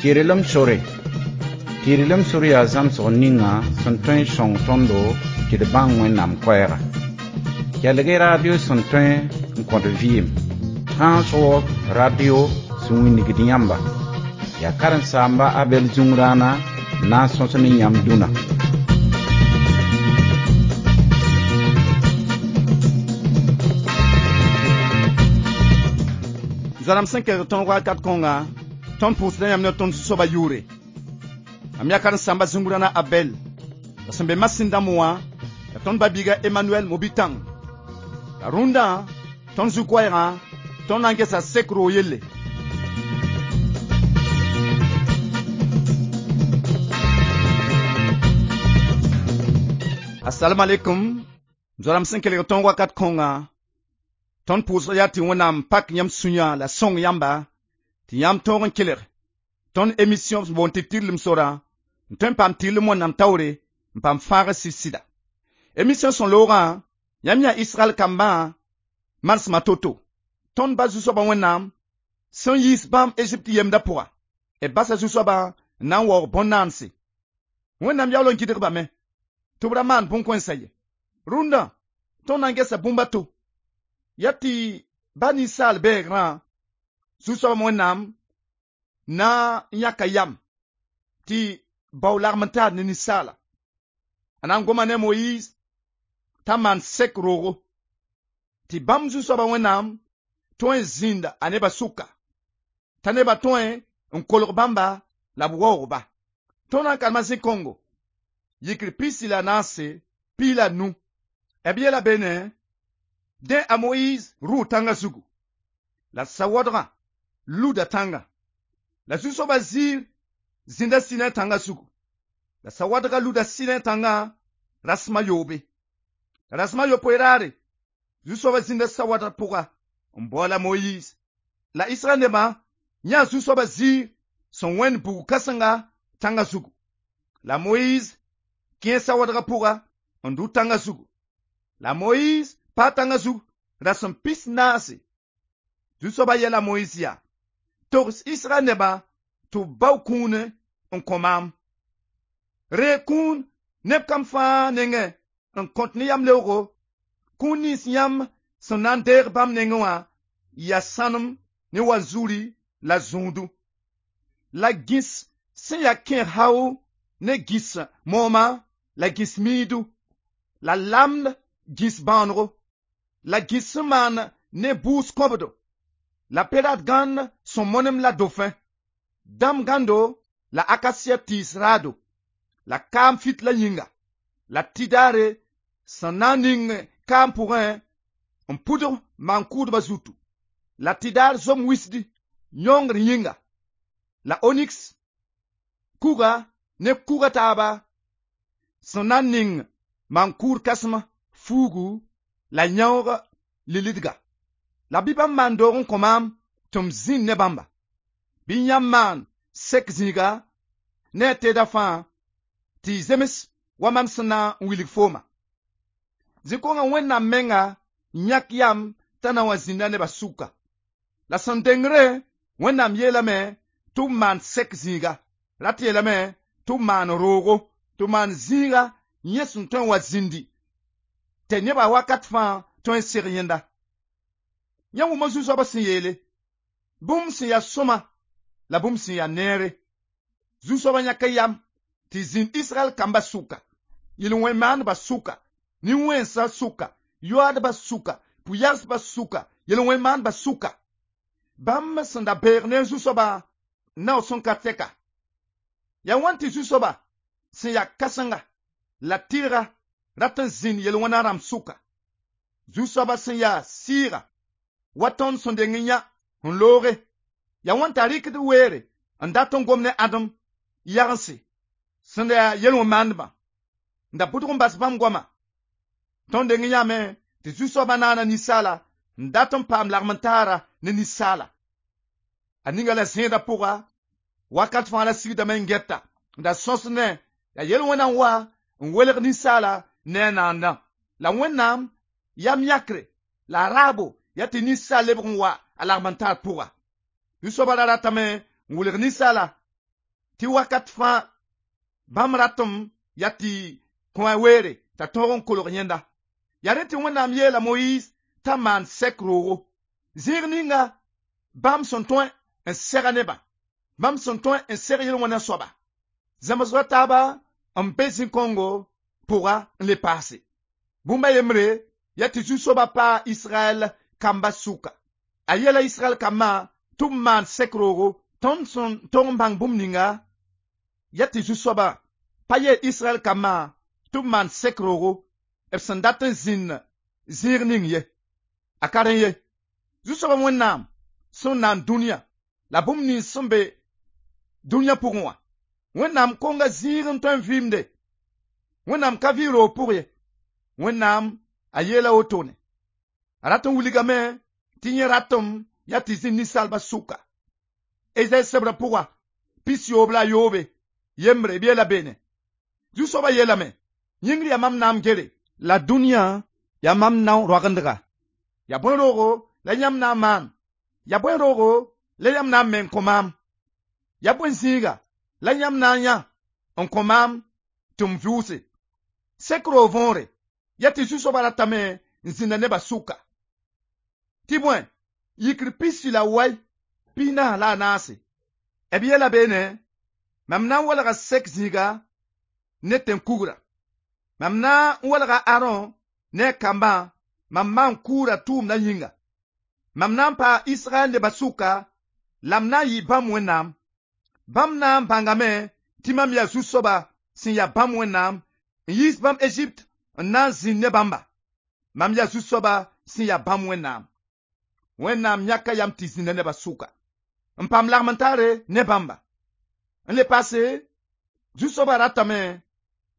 Tɩrlem sore. Tɩrlem sore yaa zãmsg ninga sẽn tõe n sõng tõndo tɩ d bãng Wẽnnaam koɛɛga. Kelg-y radio sẽn tõe n kõt vɩɩm. Transworld Radio sẽn wilgd yãmba. Yaa karen-saamba Abɛl Zũngrãana n na n sõs ne yãmb dũnna. Zoa-rãmb sẽn kelg tõog wakat kõnga, tõnd pʋʋsda yãmb ne tõnd Zu-soabã yʋʋre. Mam yaa karen-saamba Zũngrãna Abɛl, la sẽn be masĩn dãmb wã, la tõnd ba-biiga Emmanuel Mobitãng. La rũndã, tõnd zu-koɛɛgã, tõnd na n gesa sek roog yelle. Assalamu alaikum, zoa-rãmb sẽn kelg tõog wakat kõnga, tõnd pʋʋsg yaa tɩ Wẽnnaam pak yãmb sũyã la sõng yãmba, tɩ yãmb tõog n kelg tõnd émission sẽn boond tɩ tɩrlem sorã, n tõe n paam tɩrlem Wẽnnaam taoore n paam fãagr sɩd-sɩda. Émission sẽn loogã, yãmb yã Israɛl kambã manesmã to-to. Tõnd ba Zu-soabã Wẽnnaam sẽn yiis bãmb Egypte yemdã pʋga, b basa Zu-soabã n na n waoog bõn-naanse. Wẽnnaam yaool n gɩdg-bame tɩ b ra maan bõn-kõensã ye. Rũndã, tõnd na n gesa bũmb a to. Yaa tɩ ba ninsaal bɛɛgrã, Zu-soabã Wẽnnaam na n yãka yam tɩ bao lagem n taar ne ninsaala. A na n goma ne Moyiis t'a maan sek roogo, tɩ bãmb Zu-soabã Wẽnnaam tõe n zĩnda a nebã sʋka, t'a nebã tõe n kolg bãmba la b waoog-ba. Tõnd na n karema zĩ-kõngo, yikr 14, 15. B yeela beene, dẽ a Moyiis rʋʋ tãngã zugu, la sawadgã luda tãngã. La Zu-soabã ziir zĩnda Sinai tãngã zugu, la sawadgã luda Sinai tãngã rasem a yoobe. La rasem a yopoe raare, Zu-soabã zĩnda sawadgã pʋga n baool a Moyiis. La Israɛl nebã yãa Zu-soabã ziir sẽn wẽnd bug kãsenga tãngã zugu. La Moyiis kẽ sawadgã pʋga n dʋ tãngã zugu. La Moyiis paa tãngã zug rasem 14. Zu-soabã yɛla Moyiis yaa: togs Israɛl nebã tɩ b bao kũune n kõ maam. Reeg kũun neb kam fãa nengẽ n kõt ne yam-leoogo, kũun nins yãmb sẽn na n deeg bãmb nengẽ wã yaa sãnem ne wanzuri la zũudu. La gĩs sẽn yaa kẽeg hao ne gĩs mooma la gĩs miidu, la lamd gĩs bãonego, la gĩs sẽn maan ne bʋʋs kõbdo, la perat gãnd sẽn monem la dofẽ, dãmb gãndo la akasia tɩɩs raado, la kaam fitla yĩnga, la tɩdaare sẽn na n ning kaam pʋgẽ n pʋdg maan-kʋʋdbã zutu, la tɩdaar zom wisdi yõngr yĩnga, la oniks kuga ne kuga taaba sẽn na n ning maan-kʋʋd kãsem fuugu la yãoog lilidga. La bɩ bãmb maan doog n kõ maam tɩ m zĩnd ne bãmba. Bɩ yãmb maan sek zĩiga ne a teeda fãa tɩ y zems wa mam sẽn na n wilg fooma. Zĩ-kõngã Wẽnnaam menga yãk yam t'a na wa zĩnda nebã sʋka. La sẽn dengre, Wẽnnaam yeelame tɩ b maan sek zĩiga. Rat yeelame tɩ b maan roogo, tɩ b maan zĩiga yẽ sẽn tõe n wa zĩndi, tɩ nebã wakat fãa tõe n seg yẽnda. Yãmb wʋma Zu-soabã sẽn yeele, bũmb sẽn yaa sõma la bũmb sẽn yaa neere. Zu-soabã yãka yam tɩ zĩnd Israɛl kambã sʋka, yel-wẽn-maandbã sʋka, nin-wẽnsã sʋka, yoaadbã sʋka, pʋ-yagsbã sʋka, yel-wẽn-maandbã sʋka. Bãmb sẽn da beeg ne Zu-soabã nao sẽn ka tɛka. Yaa wãn tɩ Zu-soabã sẽn yaa kãsenga la tɩrga rat n zĩnd yel-wẽna rãmb sʋka. Zu-soabã sẽn yaa sɩɩga wa tõnd sẽn deng n yã n looge, yaa wãn t'a rɩkd weere n dat n gom ne ãdem yagense sẽn da yaa yel-wẽn-maandbã n da pʋdg n bas bãmb goama. Tõnd deng n yãame tɩ Zu-soabã naana ninsaala n dat n paam lagm-n-taara ne ninsaala. A ninga la zẽedã pʋga, wakat fãa la sigdame n gɛta n da sõs ne yaa yel-wẽna n wa n welg ninsaala ne a naandã. La Wẽnnaam yam yãkre la a raabo yaa tɩ ninsaal lebg n wa a lagm-n-taar pʋga. Zu-soabã ra ratame n wilg ninsaala Tɩ wakat fãa bãmb ratem yaa tɩ kõ a weere t'a tõog n kolg yẽnda. Yaa rẽ tɩ Wẽnnaam yeela Moyiis t'a maan sɛk roogo. Zĩig ninga bãmb sẽn tõe n sɛga nebã, bãmb sẽn tõe n seg yel-wẽnã soaba. Zãmsgã taaba n be zĩ-kõngo pʋga n le paase. Bũmb a yembre yaa tɩ Zu-soabã paa Israɛl kamba sʋka. A yeela Israɛl kambã tɩ b maan sɛk roogo. Tõnd sẽn tog n bãng bũmb ninga yaa tɩ Zu-soabã pa yeel Israɛl kambã tɩ b maan sɛk roogo b sẽn dat n zĩnd zĩig ning ye. A ka rẽ ye. Zu-soabã Wẽnnaam sẽn naan dũniyã la bũmb nins sẽn be dũniyã pʋgẽ wã. Wẽnnaam konga zĩig n tõe n vɩɩmde. Wẽnnaam ka vɩ roog pʋg ye. Wẽnnaam a yeela wotone. A rat n wilgame tɩ yẽ ratem yaa tɩ zĩ ninsaalbã sʋka. Ezayi sebrã pʋga 61 yembre b yeela beene. Zu-soabã yeelame, yĩngr yaa mam naam gere la dũniyã yaa mam nao roagendga. Yaa bõe roogo la yãmb na n maan? Yaa bõe roogo la yãmb na n me n kõ maam? Yaa bõe zĩiga la yãmb na n yã n kõ maam tɩ m vʋʋse? Sek roog võore yaa tɩ Zu-soabã ratame n zĩnda nebã sʋka. Tɩ bõe, yikr 44 b yeela beene, mam na n walga sek zĩiga ne tẽn-kugrã. Mam na n walga Aron ne a kambã mam maan-kʋʋda tʋʋmdã yĩnga. Mam na n paa Israɛl nebã sʋka la m na n yɩ bãmb Wẽnnaam. Bãmb na n bãngame tɩ mam yaa Zu-soaba sẽn yaa bãmb Wẽnnaam n yiis bãmb Ezipt n na n zĩnd ne bãmba. Mam yaa Zu-soaba sẽn yaa bãmb Wẽnnaam. Wẽnnaam yãka yam tɩ zĩnda nebã sʋka n paam lagm n taare ne bãmba. N le paase, Zu-soabã ratame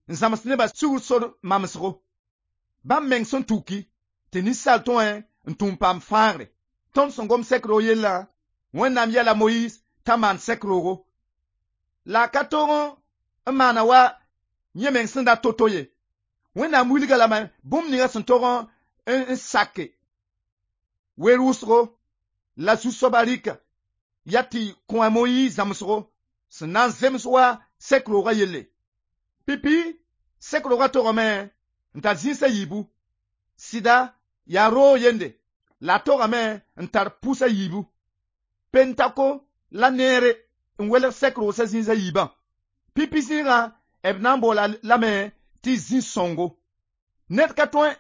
n zãms nebã sugr sor mamsgo. Bãmb meng sẽn tuki tɩ ninsaal tõe n tũu n paam fãagre. Tõnd sẽn gom sɛk roog yellã, Wẽnnaam yɛla Moyiis t'a maan sɛk roogo. La a ka tog n maana wa yẽ meng sẽn da to-to ye. Wẽnnaam wilga lame bũmb ninga sẽn tog n sake weer wʋsgo la Zu-soabã rɩka yaa tɩ kõ a Moyiis zãmsgo sẽn na n zems wa sɛk roogã yelle. Pipi sɛk roogã togame n tar zĩis a yiibu. Sɩda yaa roog yende la a togame n tar pʋs a yiibu. Pentako la neere n welg sɛk roosã zĩis a yiibã. Pipi zĩigã b na n boola lame tɩ zĩ-sõngo. Ned ka tõe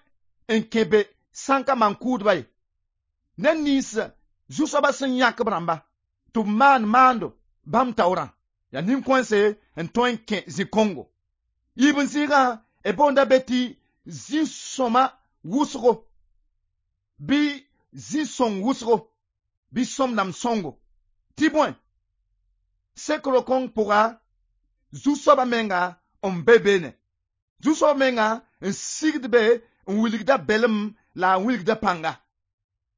n kẽ be sã n ka maan-kʋʋdba ye. Ned nins Zu-soabã sẽn yãk b rãmba tɩ b maan maando bãmb taoorã yaa nin-kõense n tõe n kẽ zĩ-kõngo. Yiib n zĩigã b boonda be tɩ zĩ-sõma wʋsgo bɩ zĩ-sõng wʋsgo bɩ sõmdãmb sõngo. Tɩ bõe, sek ro-kõng pʋga Zu-soabã menga n be beene. Zu-soabã menga n sigd be n wilgda belem la a wilgda pãnga.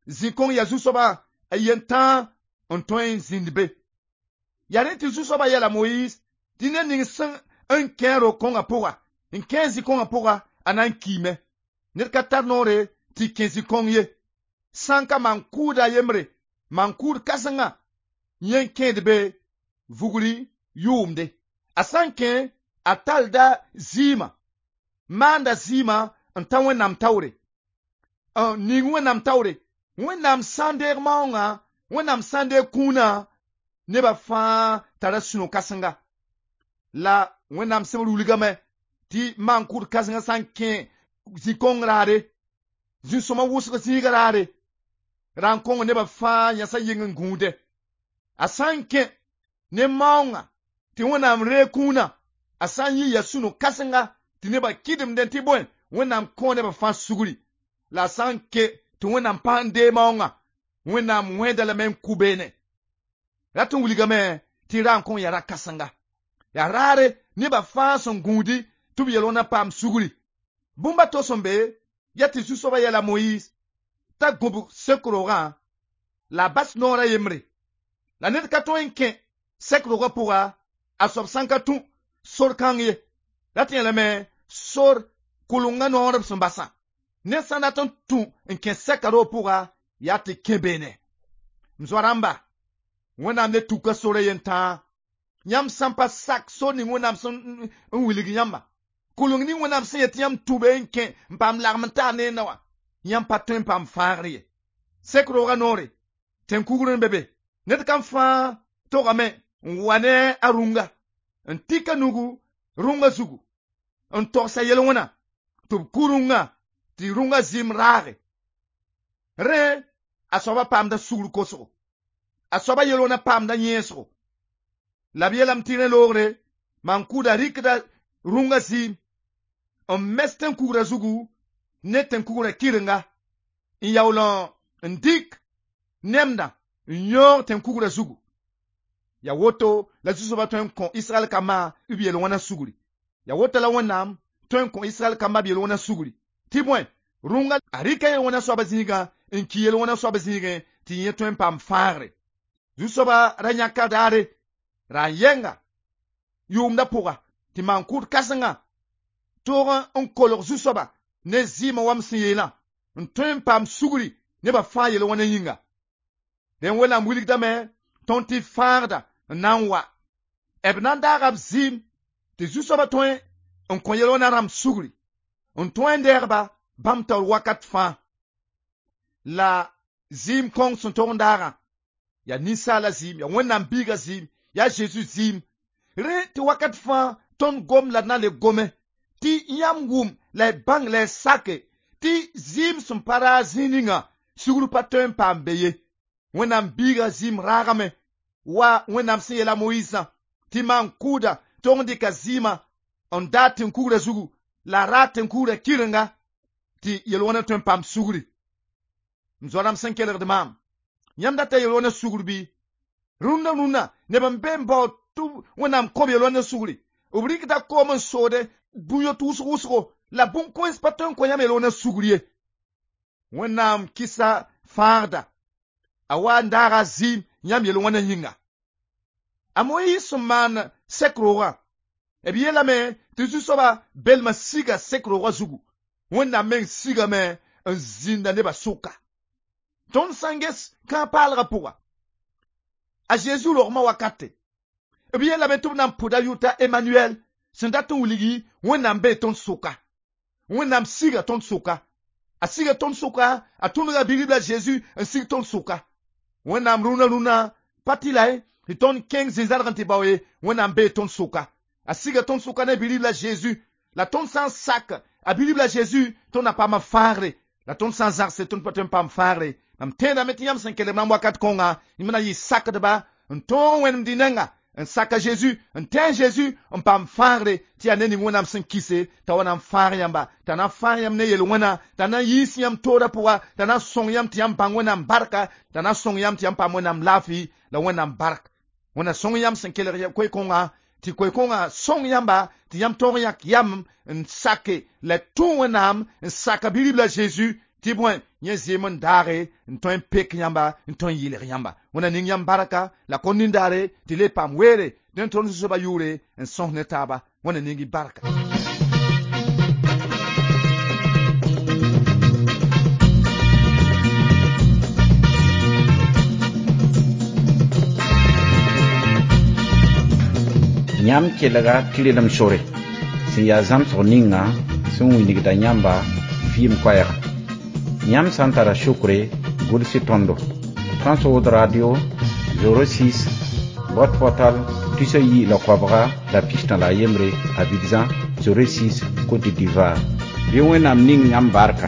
Zĩ-kõng yaa Zu-soabã a yen tãa n tõe n zĩnd be. Yaa rẽ tɩ Zu-soabã yɛla Moyiis tɩ ned ning sẽn n kẽ ro-kõngã pʋga, n kẽ zĩ-kõngã pʋga, a na n kiime. Ned ka tar noore tɩ kẽ zĩ-kõng ye. Sã n ka maan-kʋʋda yembre, maan-kʋʋd kãsenga yẽ n kẽed be vugri yʋʋmde. A sã n kẽ, a talda zɩɩmã, maanda zɩɩmã n ta Wẽnnaam taoore, n ning Wẽnnaam taoore. Wẽnnaam sã n deeg maoongã, Wẽnnaam sã n deeg kũunã, nebã fãa tara sũ-no-kãsenga. La Wẽnnaam sẽbr wilgame tɩ maan-kʋʋd kãsengã sã n kẽ zĩ-kõng raare, zĩ-sõma wʋsg zĩiga raare, ra n kõng nebã fãa yãsã yɩng n gũudẽ. A sã n kẽ ne maoongã tɩ Wẽnnaam reeg kũunã, a sã n yɩ yaa sũ-no-kãsenga tɩ nebã kɩdemdẽ tɩ bõe, Wẽnnaam kõ nebã fãa sugri. La a sã n ke tɩ Wẽnnaam pa n deeg maoongã, Wẽnnaam wẽeda lame n kʋ beene. Rat n wilgame tɩ ra n kõng yaa ra-kãsenga. Yaa raare nebã fãa sẽn gũudi tɩ b yel wãna paam sugri. Bũmb a to sẽn be yaa tɩ Zu-soabã yɛla Moyiis t'a gũbg sek roogã la a bas noor a yembre. La ned ka tõe n kẽ sɛk roogã pʋga a soab sã n ka tũ sor kãng ye. Rat yẽlame sor kʋlengã noor b sẽn basã. Ned sã n dat n tũ n kẽ sɛka roog pʋga yaa tɩ kẽ beene. M zoa rãmba, Wẽnnaam ne tuka sora yen tãa. Yãmb sã n pa sak so ning Wẽnnaam sẽn n wilg yãmba kʋleng ning Wẽnnaam sẽn yet tɩ yãmb tʋbe n kẽ n paam lagm n taar ne na wã yãmb pa tõe n paam fãagr ye sek roogã noore tẽn-kugr n be be ned kam fãa togame n wa ne a rũnga n tika nugu rũngã zugu n togsa yel-wẽna tɩ b ku rũngã tɩ rũngã zɩɩm raage rẽ a soaba paamda sugr kosgo a soaba yel-wẽna paamda yẽesgo la b yeelame tɩ rẽ loogre maan-kʋʋda rɩkda rũngã zɩɩm n mes tẽn-kugrã zugu ne tẽn-kugrã kɩrenga n yaool n dɩk nemdã n yõog tẽn-kugrã zugu ya woto la Zu-soabã tõe n kõ Israɛl kambã b yel-wẽna sugri ya woto la Wẽnnaam tõe n kõ Israɛl kambã b yel-wẽna sugri tɩ bõe rũngã a rɩka yel-wẽna soabã zĩigã n ki yel-wẽna soabã zĩigẽ tɩ yẽ tõe n paam fãagre Zu-soabã ra yãka daare ra n yɛnga yʋʋmdã pʋga tɩ maan-kʋʋd kãsenga toog n kolg Zu-soabã ne zɩɩmã wam sẽn yeelã n tõe n paam sugri nebã fãa yel-wẽna yĩnga dẽn Wẽnnaam wilgdame tõnd tɩ fãagda n na n wa b na n daaga b zɩɩm tɩ Zu-soabã tõe n kõ yel-wẽna rãmb sugri n tõe n deegba bãmb taoor wakat fãa la zɩɩm kõng sẽn tog n daagã yaa ninsaala zɩɩm yaa Wẽnnaam biigã zɩɩm yaa Zeezi zɩɩm rẽ tɩ wakat fãa tõnd gom la d na le gome tɩ yãmb wʋm la y bãng la y sake tɩ zɩɩm sẽn pa raag zĩig ninga sugr pa tõe n paam be ye Wẽnnaam biigã zɩɩm raagame wa Wẽnnaam sẽn yeela Moyiisã tɩ maan-kʋʋda tog n dɩka zɩɩmã n daag tẽn-kugrã zugu la a raag tẽn-kugrã kɩrenga tɩ yel-wẽna tõe n paam sugri m zoa-rãmb sẽn kelgd maam yãmb data yel-wẽna sugr bɩ rũndã rũndã neb n be n bao tɩ Wẽnnaam kõb yel-wẽna sugri b rɩkda koom n soode bũn-yot wʋsg wʋsgo la bũn-kõens pa tõe n kõ yãmb yel-wẽna sugr ye Wẽnnaam kɩsa fãagda a wa n daaga zɩɩm yãmb yel-wẽna yĩnga a Moyiis sẽn maan sek roogã b yeelame tɩ Zu-soabã belmã siga sek roogã zugu Wẽnnaam meng sigame n zĩnda nebã sʋka tõnd sã n ges kãag-paalgã pʋga a Zeezi rogmã wakate b yeelame tɩ b na n pʋda yʋta Emmanuel sẽn dat n wilgi Wẽnnaam bee tõnd sʋka Wẽnnaam siga tõnd sʋka a siga tõnd sʋka a tũnuga bi-ribla Zeezi n sig tõnd sʋka Wẽnnaam rũnã rũnã pa tɩ la ye tɩ tõnd kẽng zĩ-zãrg n tɩ bao ye Wẽnnaam bee tõnd sʋka a siga tõnd sʋka ne bi-ribla Zeezi la tõnd sã n sak a bi-ribla Zeezi tõnd na paama fãagre la tõnd sã n zãgse tõnd pa tõe n paam fãagre mam tẽedame tɩ yãmb sẽn kelg mam wakat kõnga yãmb na yɩ sakdba n tõog wẽnemd y nengã n saka Zeezi n tẽ Zeezi n paam fãagre tɩ yaa ne ning Wẽnnaam sẽn kɩse t'a wa na n fãag yãmba t'a na n fãag yãmb ne yel-wẽna t'a na n yiis yãmb toorã pʋga t'a na n sõng yãmb tɩ yãmb bãng Wẽnnaam barka t'a na n sõng yãmb tɩ yãmb paam Wẽnnaam laafɩ la Wẽnnaam bark Wẽnna sõng yãmb sẽn kelg koe-kõngã tɩ koe-kõngã sõng yãmba tɩ yãmb tõog n yãk yam n sake la tũ Wẽnnaam n saka bi-ribla Zeezi tɩ bõe yẽ zɩɩm n daage n tõe n pek yãmba n tõe n yɩlg yãmba Wẽnna ning yãmb barka la kõn nindaare tɩ le paam weere dẽn tõnd Zu-soabã yʋʋre n sõs ne taaba Wẽnna ning y barka. Yãmb kelga tɩrlem sore sẽn yaa zãmsg ninga sẽn wilgda yãmba vɩɩm koɛɛga yãmb sã n tara sukre gʋls tõndo Transworld Radio 06 boîte postale 219 Abidjan 06 Côte d'Ivoire. Bɩ Wẽnnaam ning yãmb barka.